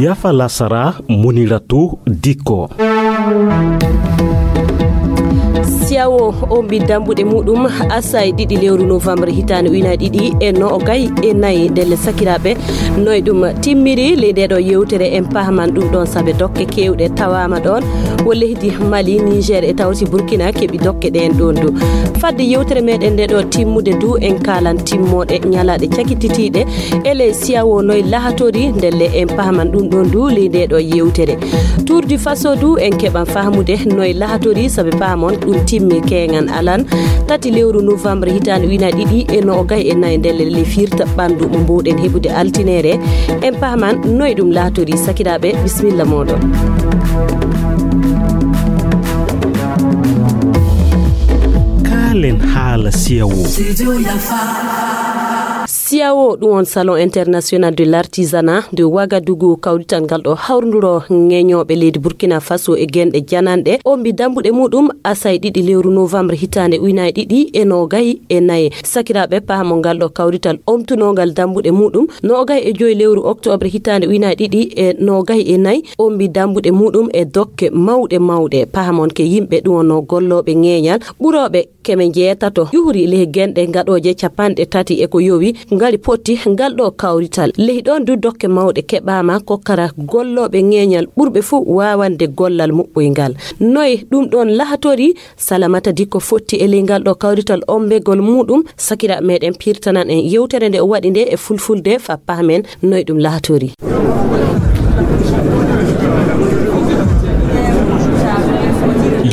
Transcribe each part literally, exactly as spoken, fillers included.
Yafa lasara, Muniratu Dikko. Siyawo ombi dambuɗe muɗum asay ɗiɗi lewru novembre hitaande ujunaaji ɗiɗi e noogay e nayi. Ndelle sakiraaɓe, noy ɗum timmiri ley nde ɗo yewtere, en pahaman ɗum ɗon, sabe dokke kewɗe tawama ɗon, wo leydi Mali, Niger e tawti Burkina keɓi dokke ɗen ɗon du. Fadde yewtere meɗen nde ɗo timmude du, en kalan timmoɗe ñalaɗe cakititiɗe e ley siyawo noy lahatori, ndelle en pahaman ɗum ɗon du ley nde ɗo yewtere. Tour du Faso du en keɓan fahamude noy lahatori, sabe pahamon ɗum timmi keŋan alan tati lewru novembre hitaande ujunaaji ɗiɗi e noogay e nayi, ndelle le firta ɓandu mo mbowɗen heɓude altinere. En pahaman noy ɗum lahatori, sakiraaɓe, bismilla moɗon. Kaalen haala siyawo. Siyawo ɗum on Salon International de l'Artisanat de Ouagadougou, kawrital ngal ɗo hawrnduro ŋeñooɓe leydi Burkina Faso e genɗe jananɗe, ombi dambuɗe muɗum asay ɗiɗi lewru novembre hitaande ujunaaji ɗiɗi e noogay e nayi. Sakiraaɓe, pahamo ngal ɗo kawrital omtunongal dambuɗe muɗum noogay e joyi lewru octobre hitaande ujunaaji ɗiɗi e noogay e nayi, ombi dambuɗe muɗum e dokke mawɗe mawɗe. Pahamon ke yimɓe ɗum wonno gollooɓe ŋeñal ɓurooɓe keme jeetato ƴuhri ley genɗe gaɗooje capanɗe tati e ko yowi ngari potti ngal ɗo kawrital. Ley ɗon du dokke mawɗe keɓaama kokkara gollooɓe ŋeñal ɓurɓe fuu waawande gollal muɓɓoyngal. Noye ɗum ɗon lahatori? Salamata Dikko fotti e ley ngal ɗo kawrital ombegol muɗum. Sakira meɗen pirtanan en yewtere nde o waɗi nde e fulfulde fa pahmen noye ɗum lahatori.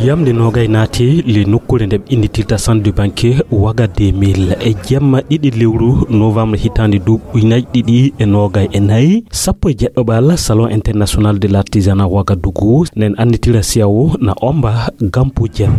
Yamde nogay naati le nokkuure nde ɓe innditirta Centre du Banquier Waga deux mille e jemma ɗiɗi lewru novembre hitaande duuɓi ujunaaji ɗiɗi e nogay e nayi, sappo e jeɗɗo ɓal Salon International de l'Artisanat Ouagadougou nen annditira siyawo na omba Gampu Jem.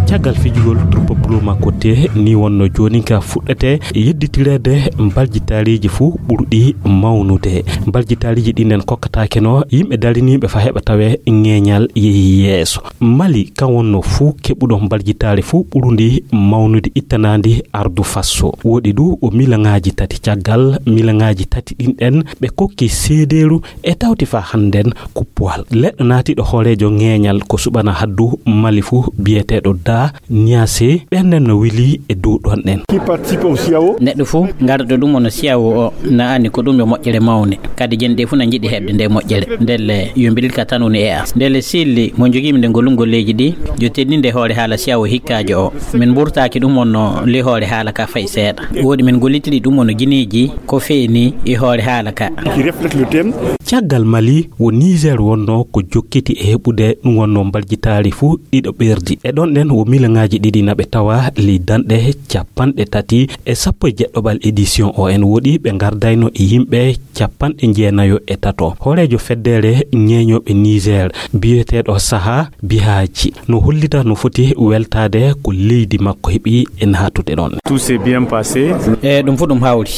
Caggal fijugol Troupe Blue Makotte ni wonno joonin ka fuɗɗete yedditireede mbaljitaariiji fuu ɓurɗi mawnude. Mbaljitaariiji ɗin nen kokkataake no yimɓe dariniiɓe fa heɓa tawe ŋeñal yehi yeeso. Mali kan wonno fuu keɓuɗo mbaljitaari fuu ɓurundi mawnude ittanaandi ardu Faso. Woɗi du o milaŋaaji tati. Caggal milaŋaaji tati ɗin ɗen ɓe kokki seedeeru e tawti fa hannden kuppuwal. Leɗɗo naatiiɗo hooreejo ŋeeñal ko suɓana haddu Mali fuu biyeteeɗo Da Niasse, ɓen nen no wili e dow ɗon ɗen. Qui participe au siyawo? Neɗɗo fuu garɗo ɗum ono siyawo o na anndi ko ɗum yo moƴƴere mawne. Kadi jen ɗe fuu na njiɗi heɓde nde moƴƴere. Ndelle yo mbiɗirka tan woni e as. Ndelle silli mo jogiimi nde ngolum golleeji ɗi, yo teddinde hoore haala siyawo hikkaajo o. Min mburtaaki ɗum ono li hoore haala ka fay seeɗa. Woɗi min gollitiri ɗum ono gineeji ko feeni e hoore haala ka. Qui reflète le thème. Caggal Mali wo Niger wonno ko jokkiti e heɓude ɗum wonno mbaljitaari fuu ɗiɗo ɓerdi. E ɗon ɗen wo milaŋaaji ɗiɗi na ɓe tawa ley danɗe capanɗe tati e sappo e jeɗɗo ɓal édition o en woɗi ɓe ngardayno e yimɓe capanɗe jeenayo e tato. Hooreejo feddere ñeeñooɓe Niger biyeteeɗo Saha Bihaji no hollita no foti weltaade ko leydi makko heɓi e naatude ɗon. Tout s'est bien passé. E ɗum fof ɗum hawri.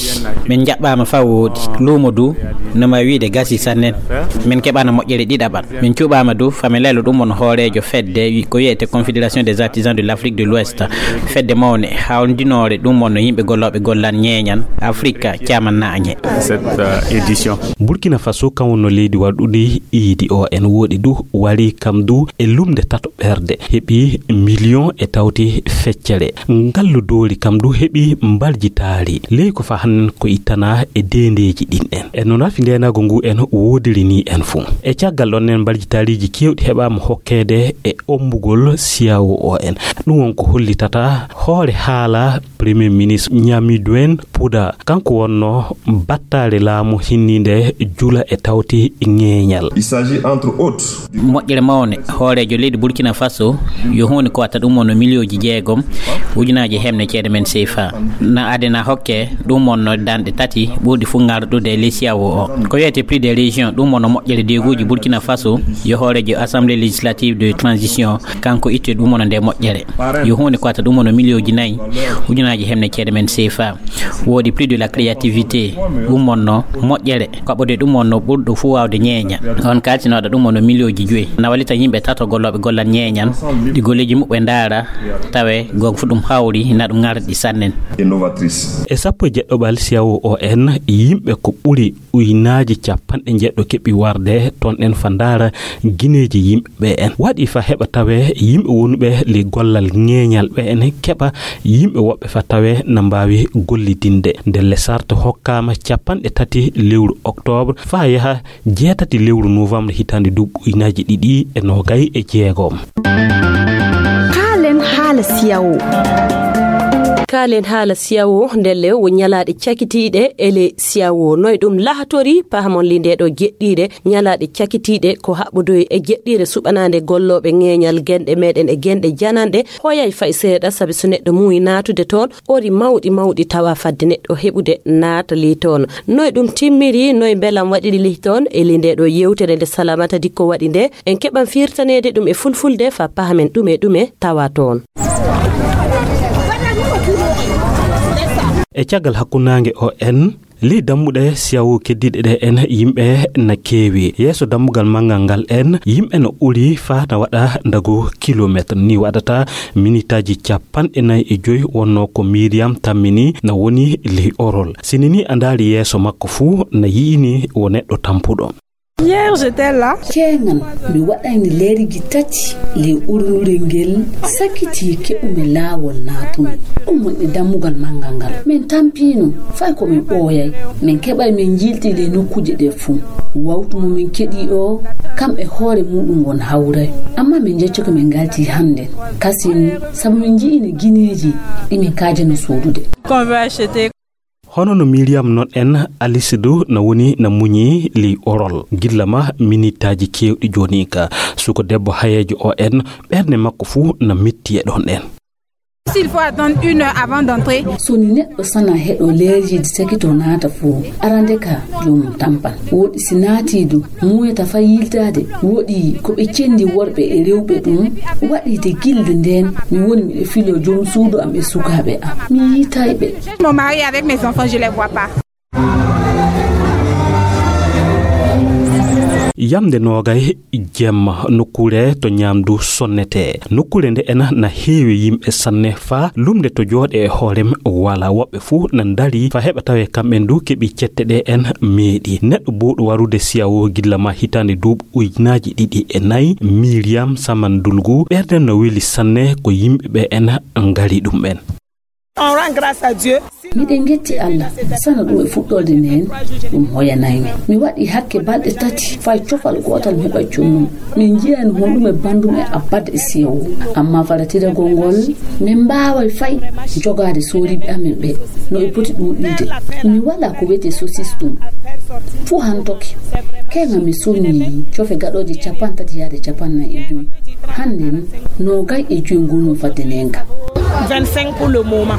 Min njaɓɓaama faa wooɗi. Luumo du no ma wiide gasi sannen. Min keɓaana moƴƴere ɗiɗaɓal. Min cuɓaama du fa mi lelo ɗum on hooreejo fedde wi-, ko wiyetee Confédération des Artisans de l'Afrique de l'Ouest. Fedde mawne hawndinoore ɗum on no yimɓe gollooɓe gollan ñeeñan Afrika caaman naañe. Cette, euh, édition. Burkina Faso kan wonno leydi waɗuɗi iidi o en woɗi du wari kam du e lumnde tato ɓerde heɓi million e tawti feccere. Ngallu doori kam du heɓi mbaljitaari. Ley ko fa hannen ko ittana e deendeeji ɗin en. E no nafi ndeenaago ngu en woodiri ni en fuu. E caggal ɗon nen mbaljitaariiji keewɗi heɓaama hokkeede e ombugol siyawo o en. Ɗum won ko hollitata hoore haala Premier Ministre Nyamiduen Puda, kanko wonno battaare laamu hinniinde jula e tawti ŋeeñal. Il s'agit entre autres du moƴƴere mawne hooreejo leydi Burkina Faso yo huunde ko watta ɗum wonno miliyooji jeegom ujunaaji hemne ceede men seefa. Na adena hokke ɗum wonno danɗe tati ɓurɗi fuu ngarɗude e ley siyawo o. Ko wiyetee prix de Décision ɗum wonno moƴƴere deeguuji Burkina Faso, yo hooreejo Assemblée législative de transition, kanko itte ɗum wonno nde moƴƴere. Yo huunde ko wata ɗum wonno miliyooji nayi ujunaaji hemne ceede men C F A. Woodi prix de la créativité, ɗum wonno moƴƴere, kaɓɓode ɗum wonno ɓurɗo fuu waawde ñeeña. On kaaltinooɗo ɗum wonno miliyooji joyi. Na wallita yimɓe tato gollooɓe gollal ñeeñal, ɗi golleeji muɓɓe ndaara, tawe gonga fu ɗum hawri, na ɗum ŋarɗi sannen. E sappo e jeɗɗo ɓal C E A O O N, yimɓe ko ɓuri ujunaaji capanɗe njeɗɗo keɓi warde toon ɗen fa ndaara gineeji yimɓe ɓe en. Waɗi fa heɓa tawe yimɓe wonuɓe le gollal ŋeeñal ɓe en keɓa yimɓe woɓɓe fa tawe na mbaawi gollidinde. Nde le sart hokkaama capanɗe tati lewru octobre fa yaha jeetati lewru novembre hitaande duuɓi ujunaaji ɗiɗi e noogay e jeegom. Kaalen haala C E A O. Kaalen haala C E A O, ndelle wo ñalaaɗe cakitiiɗe e le C E A O. Noy ɗum lahatori, pahamon li nde ɗo jeɗɗiire. Ñalaaɗe cakitiiɗe ko haɓɓodoyi e jeɗɗiire suɓanaande gollooɓe ŋeeñal genɗe meɗen e genɗe jananɗe. Hoyay fay seeɗa, sabi so neɗɗo muuyi naatude toon, ori mawɗi mawɗi tawa fadde neɗɗo heɓude naata li toon. Noy ɗum timmiri, noy mbelam waɗiri li toon, e li nde ɗo yewtere nde Salamata Dikko waɗi nde, en keɓan firtaneede ɗum e fulfulde fa pahamen ɗume ɗume tawa toon. E caggal hakkunnaange o en, ley dammuɗe C E A O keddiiɗe ɗe en yimɓe na keewi. Yeeso dammugal manngal ngal en, yimɓe no uri faa na waɗa ndagu kilomeetre. Ni waɗata minitaaji capanɗe nayi e joyi wonnoo ko Miriam tammini na woni ley orol. Sini ni a ndaari yeeso makko fuu na yi'ini wo neɗɗo tampuɗo. Hier, j'étais là. Keeŋan, mi waɗayni leeriji tati ley urnure ngel sakitii keɓumi laawol naatumi. Ɗum woni dammugal manngal ngal. Min tampiino, fay ko min ɓooyay. Min keɓay min njiilti ley nokkuuje ɗe fuu. Wawtu mo min keɗii o, kam e hoore muuɗum won hawray. Ammaa min njeccoke min ngaltii hannden. Kasin, sabu min nji'ini gineeji ɗi min kaajano soodude. Qu'on veut acheter. Hono no Miriam non en, Alice du na woni na muñi ley orol. Gilla ma minitaaji keewɗi jooni ka. Suko debbo hayeejo o en, ɓernde makko fuu na metti e ɗon en. S'il faut attendre une heure avant d'entrer. So ni neɗɗo sana heɗo leeriji sakito naata fuu, arande ka joomum tampan. Woɗi si naati du, muuyata fay yiltaade. Woɗi ko ɓe cenndi worɓe e rewɓe ɗum. Waɗi de gilde nden, mi woni miɗo filoo joom suudu am e sukaaɓe am. Mi yiitay ɓe. Mon mari avec mes enfants, je les vois pas. Yamde noogay jemma, nokkuure to ñaamdu sonnetee. Nokkuure nde en na heewi yimɓe sanne faa lumnde to jooɗe e hoorem wala woɓɓe fuu na ndari fa heɓa tawe kamɓen du keɓi cette ɗe en meeɗi. Neɗɗo bowɗo warude C E A O gilla ma hitaande duuɓi ujunaaji ɗiɗi e nayi, Miriam Samandulgu, ɓerden no weli sanne ko yimɓe ɓe en ngari ɗum en. On rend grâce à Dieu. Miɗen ngetti Allah, sana ɗum e fuɗɗorde nden, ɗum hoyanaymi. Mi waɗi hakke balɗe tati, fay cofal gootal mi heɓa connum. Min njiyani honɗum e banndum e abbadde e C E A O. Amma falatiragol ngol, min mbaaway fay jogaade sooriiɓe amen ɓe, no e poti ɗuuɗiide. Mi walaa ko wiyetee sosis ɗum. Fuu hantoke. Keeŋa mi soññii cofe gaɗooje capantati yaade capannay e joy. Hannden, noogay e joy ngonoo fadde neenga. Vingt-cinq pour le moment.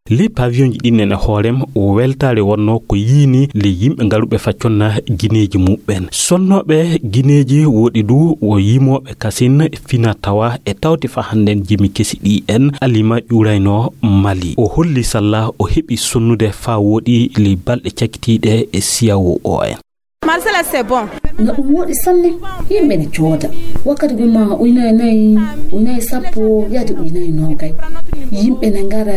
Ley pavillonji ɗin en e hoorem, o weltaare wonnoo ko yiini ley yimɓe ngaruɓe fa conna gineeji muɓɓen. Sonnooɓe gineeji woɗi du wo yimooɓe kasin fina tawa e tawte fa hannden jimi kesi ɗi en alima ƴuuraynoo Mali. O holli salla o heɓi sonnude fa woɗi ley balɗe cakitiiɗe e C E A O en. Marcela, c'est bon. No ɗum woɗi sanne. Yimɓe ne cooda. Wakkati guma uynay nayi, uynay sappo, yaade uynay noogay. Yimɓe ne ngara,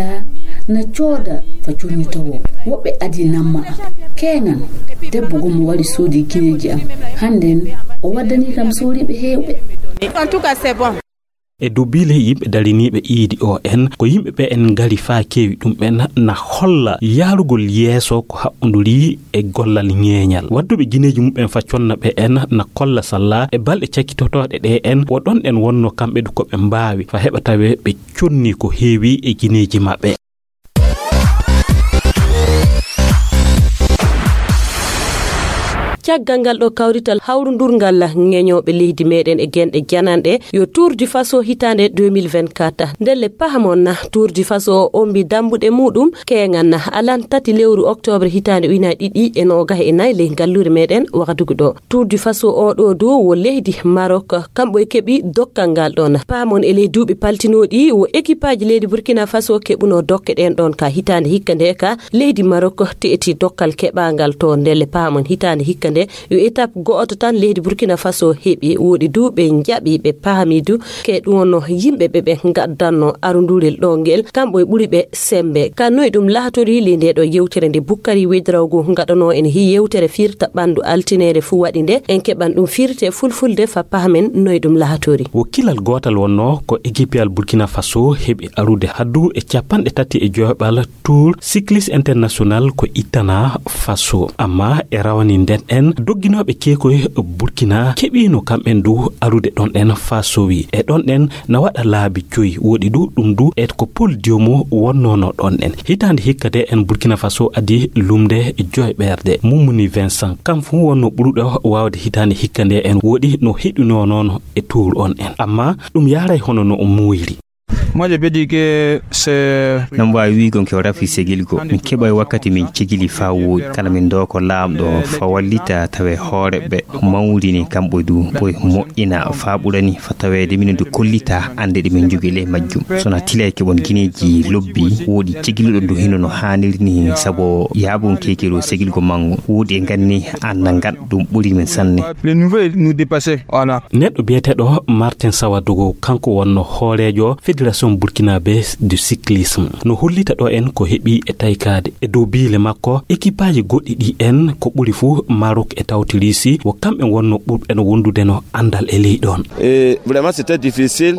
na cooda fa connitowo. Woɓɓe adi namma am. Keeŋan, debbo gummo wari soodi gineeji am. Hannden, o waddani kam sooriiɓe heewɓe. En tout cas, c'est bon. E dubiile yimɓe dariniiɓe iidi o en, ko yimɓe ɓe en ngari faa keewi ɗum ɓen na holla yaarugol yeeso ko haɓɓonduri e gollal ñeeñal. Wadduɓe gineeji muɓɓen fa conna ɓe en na kolla salla e balɗe cakkitotooɗe ɗe en, wo ɗon ɗen wonno kamɓe du ko ɓe mbaawi fa heɓa tawe ɓe conni ko heewi e gineeji maɓɓe. Caggal ngal ɗo kawrital hawrundurngal ŋeñooɓe leydi meɗen e genɗe jananɗe, yo Tour du Faso hitaande deux mille vingt-quatre. Ndelle pahamon na Tour du Faso o ombi dambuɗe muɗum keeŋan na alan tati lewru octobre hitaande ujunaaji ɗiɗi e noogas e nayi ley ngalluure meɗen wakadugu ɗo. Tour du Faso o ɗo dow wo leydi Maroc, kamɓe keɓi dokkal ngal ɗon. Pahamon e ley duuɓi paltinooɗi wo équipage leydi Burkina Faso keɓuno dokke ɗen ɗon ka hitaande hikka nde ka leydi Maroc teeti dokkal keɓangal to. Ndelle pahamon hitaande hikka nde yo étape go'oto tan leydi Burkina Faso heɓi. Woɗi du ɓe njaɓi ɓe pahami du ke ɗum wonno yimɓe ɓe ɓe ngaddanno arundurel ɗo ngel kamɓe ɓuri ɓe sembe. Ka noy ɗum lahatori ley nde ɗo yewtere nde Bukkari Wedrawgo ngaɗano en hi yewtere firta ɓandu altinere fu waɗi nde en keɓan ɗum firte fulfulde fa pahamen noy ɗum lahatori. Wo kilal gootal wonno ko ekipiyal Burkina Faso heɓi arude haddu e capanɗe tati e joyɓal Tour Cycliste International ko ittana Faso. Amma e rawani nden en dogginooɓe keekoy Burkina keɓino kamɓen du arude ɗon ɗen Faso wi. E ɗon ɗen na waɗa laabi joyi woɗi du ɗum du e ko Paul Diomo wonnono ɗon ɗen. Hitaande hikka de en Burkina Faso adi lumde joyɓerde. Mummuni Vincent kam fu wonno ɓuruɗo wawde hitaande hikka nde en woɗi no heɗunonono e Tour on en. Amma ɗum yaray hono no o muuyri. Moi, je peux dire que c'est Nam waawi wiigo ke o rafi segilgo. Min keɓa e wakkati min cegili faa wooɗi. Kala min doo ko laamɗo fa wallita tawe hoore ɓe mawrini kamɓe du ɓoy moƴƴina faa ɓurani fa taweede minen du kollita annde ɗe min njogii ley majjum. So na tilay keɓon gineeji lobbi wooɗi cegiluɗo du hino no haaniri ni sabo yaabon keekiro segilgo mango. Wooɗi e ganni anna ngan ɗum ɓuri min sanne. Le niveau nous dépasser. Voilà. Neɗɗo biyeteeɗo Martin Sawadogo, kanko wonno hooreejo Fédération Burkinabé du Cyclisme. No hollita ɗo en ko heɓi e taykaade. E dow biile makko, ekipaaji goɗɗi ɗi en ko ɓuri fuu Maroc e tawti Russie, wo kamɓe wonno ɓurɓe no wondude no anndal e ley ɗoon. Et vraiment, c'était difficile.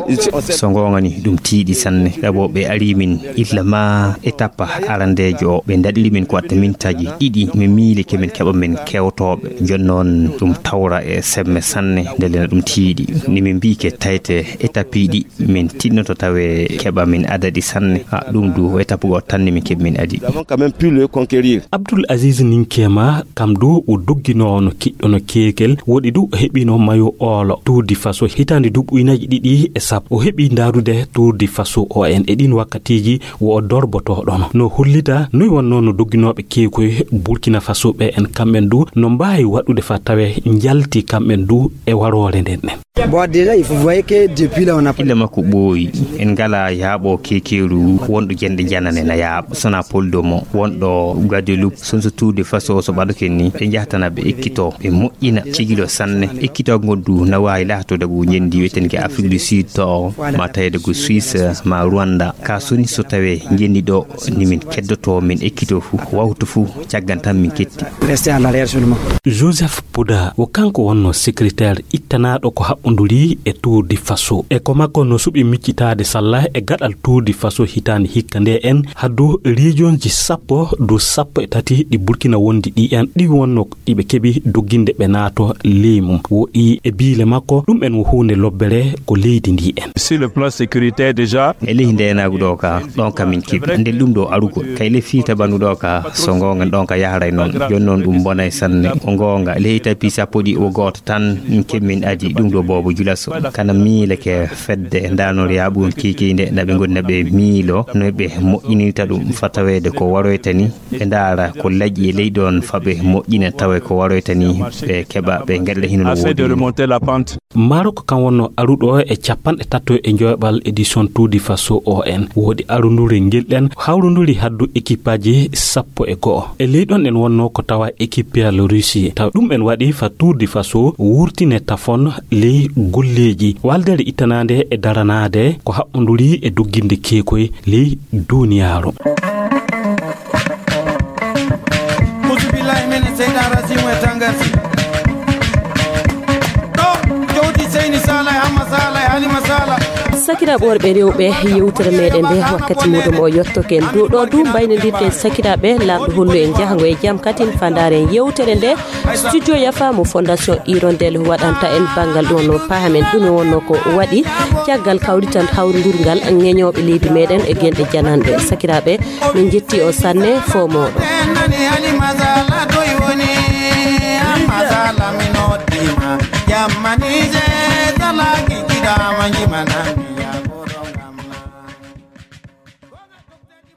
So ngoonga ni, ɗum tiiɗi sanne. Ɗabo ɓe ari min illa ma e tappa arandeejo o. Ɓe ndaɗiri min ko watta mintaaji ɗiɗi. Min miili ke min keɓa min kewtooɓe. Jooni noon ɗum tawra e semme sanne, ndelle na ɗum tiiɗi. Ni min mbii ke tayte e tappiiɗi, min tinnoto tawe keɓa min adadi sanne. A, ɗum du e tapugol tan ni min keɓi min adi. Nous avons quand même pu le conquérir. Abdoul Aziz Ninkema, kam du o dogginoowo no kiɗɗo no keekel, woɗi du o heɓino mayo oolo Tour du Faso hitaande duuɓi ujunnaaji ɗiɗi e sappo. O heɓi ndaarude Tour du Faso o en e ɗin wakkatiiji wo o dorbotoɗono. No hollita noy wonno no dogginooɓe keekoy Burkina Faso ɓe en kamɓen du no mbaawi waɗude fa tawe njalti kamɓen du e waroore nden ɗen. Bon, déjà, il faut voir que depuis là, on a Illa makko ɓooyi. En ngala yaaɓo keekeeru wonɗo jenɗe janane na yaaɓa. Sona Paul Domo wonɗo Guadeloupe. Son so Tour du Faso so ɓaɗoke ni, ɓe njahatana ɓe ekkito, ɓe moƴƴina cigilo sanne. Ekkito ngondu na waawi laatoda go njendi wiyeten ke Afrique du Sud to, ma tawede go Suisse, ma Rwanda. Ka soni so tawe njendi ɗo ni min keddoto, min ekkito fu, wawtu fu, caggan tan min ketti. Rester en arrière seulement. Joseph Pouda, wo kanko wonno secrétaire ittanaaɗo ko haɓɓonduri e Tour du Faso. E ko makko no suɓi miccitaade salla e gaɗal Tour du Faso hitaande hikka nde en haddu regionji sappo du sappo e tati ɗi Burkina wondi ɗi en ɗi wonno ɗi ɓe keɓi dogginde ɓe naato ley mum. Wo ɗi e biile makko ɗum en wo huunde lobbere ko leydi ndi en. Sur le plan sécuritaire déjà. E ley ndeenaagu ɗo ka, ɗon ka min keɓi. Nden ɗum ɗo arugol. Kay le fiita ɓandu ɗo ka, so ngoonga ɗon ka yaharay noon. Jooni noon ɗum bonay sanne. Ko ngoonga, ley tapi sappo ɗi o gooto tan keɓi min adi ɗum ɗo boobo julaso. Kana miileke fedde ndaanor yaaɓuɗum kiikiinde na ɓe ngoni na ɓe miilo no ɓe moƴƴinirta ɗum fa taweede ko waroyta ni. Ɓe ndaara ko laƴi e ley ɗon fa ɓe moƴƴina tawe ko waroyta ni ɓe keɓa ɓe ngaɗira hino no Assez de woodiri. Remonter la pente. Maroc kan wonno aruɗo e capanɗe tato e joyɓal édition Tour du Faso O N. Woodi arundure ngel ɗen hawrunduri haddu équipeaji sappo e go'o. E ley ɗon ɗen wonno ko tawa équipeal Russie. Taw ɗum en waɗi fa Tour du Faso wurtine tafon ley golleeji. Waldere ittanande e daranaade ko haɓɓonduri e dogginde keekoy ley duniyaaru. Musubillahi mine seydan rasimu e tangarsi. Ɗo jowdi seyni sala e hamma sala e halima sala. Sakiraaɓe worɓe rewɓe, yewtere meɗen nde wakkati muɗum o yettoke en. Ɗo ɗo du mbaynodirten sakiraaɓe, laamɗo hollu en jahango e jam katin fandare en yewtere nde. Studio Yafa mo Fondation Hirondelle waɗanta en banngal ɗum wonno pahamen ɗum wonno ko waɗi caggal kawrital hawrundurgal ŋeñooɓe leydi meɗen e genɗe jananɗe. Sakiraaɓe, min jetti on sanne fo moɗon.